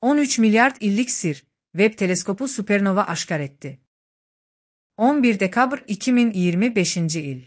13 milyard illik sir, Webb teleskopu süpernova aşkar etti. 11 dekabr 2025 il.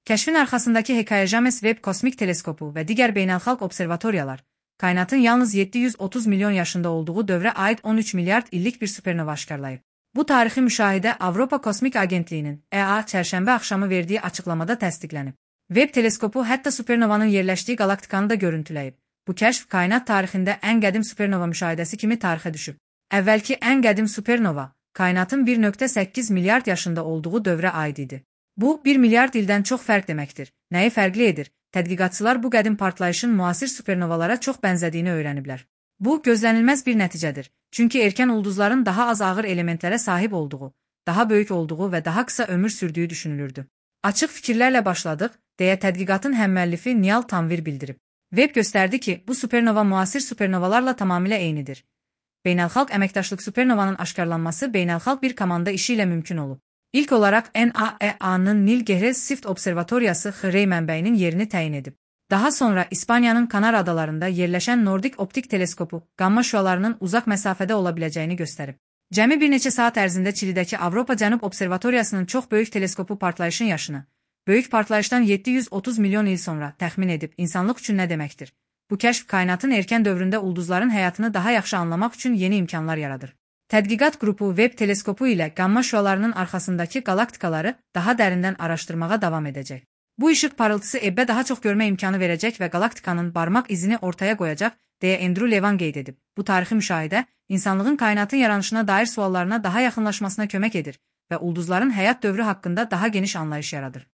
Kəşfin arxasındakı hekayə James Webb Kosmik Teleskopu və digər beynəlxalq observatoriyalar, kainatın yalnız 730 milyon yaşında olduğu dövrə aid 13 milyard illik bir süpernova aşkarlayıb. Bu tarixi müşahidə Avropa Kosmik Agentliyinin EA çərşənbə axşamı verdiyi açıqlamada təsdiqlənib. Webb teleskopu hətta supernovanın yerləşdiyi galaktikanı da görüntüləyib. Bu kəşf kainat tarixində ən qədim supernova müşahidəsi kimi tarixə düşüb. Əvvəlki ən qədim supernova, kainatın 1,8 milyard yaşında olduğu dövrə aid idi. Bu, 1 milyard ildən çox fərq deməkdir. Nəyi fərqli edir? Tədqiqatçılar bu qədim partlayışın müasir supernovalara çox bənzədiyini öyrəniblər. Bu, gözlənilməz bir nəticədir. Çünki erkən ulduzların daha az ağır elementlərə sahib olduğu, daha böyük olduğu və daha qısa ömür sürdüyü düşünülürdü. Açıq fikirlərlə başladıq, deyə tədqiqatın həmmüəllifi Niall Tanvir bildirib. Webb göstərdi ki, bu supernova müasir supernovalarla tamamilə eynidir. Beynəlxalq əməkdaşlıq supernovanın aşkarlanması beynəlxalq bir komanda işi ilə mümkün olub. İlk olaraq NAEA-nın Nil Gehrez Sift Observatoriyası XREY mənbəyinin yerini təyin edib. Daha sonra İspaniyanın Kanar adalarında yerləşən Nordik Optik Teleskopu qamma şüalarının uzaq məsafədə ola biləcəyini göstərib. Cəmi bir neçə saat ərzində Çilidəki Avropa Cənub Observatoriyasının çox böyük teleskopu partlayışın yaşını, böyük partlayışdan 730 milyon il sonra təxmin edib insanlıq üçün nə deməkdir? Bu kəşf kainatın erkən dövründə ulduzların həyatını daha yaxşı anlamaq üçün yeni imkanlar yaradır. Tədqiqat qrupu Webb teleskopu ilə qamma şüalarının arxasındakı galaktikaları daha dərindən araşdırmağa davam edəcək. Bu işıq parıltısı Ebbə daha çox görmə imkanı verəcək və galaktikanın barmaq izini ortaya qoyacaq, deyə Andrew Levan qeyd edib. Bu tarixi müşahidə, insanlığın kainatın yaranışına dair suallarına daha yaxınlaşmasına kömək edir və ulduzların həyat dövrü haqqında daha geniş anlayış yaradır.